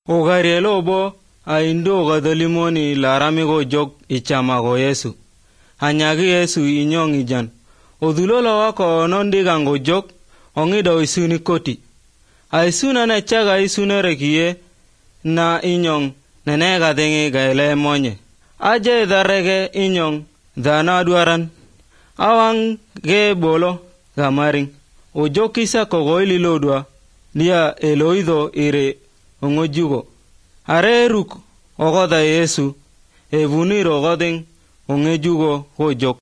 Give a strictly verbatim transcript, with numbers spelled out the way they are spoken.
Ogarielo bo a indo gadalimoni larami go jog ichama go Yesu. Hanyagi Yesu inyong ijan. Odulola wako nondiga go jog ongido isuni koti. A isuna na chaga isuna rekiye na inyong nenega dengi gaile monye. Aje darege inyong dana duaran. Awang ge bolo gamaring. Ojo kisa kogoili lodwa lia eloido ire ongojugo. Are ruk ogoda Yesu evuniro godeng ongejugo hojok.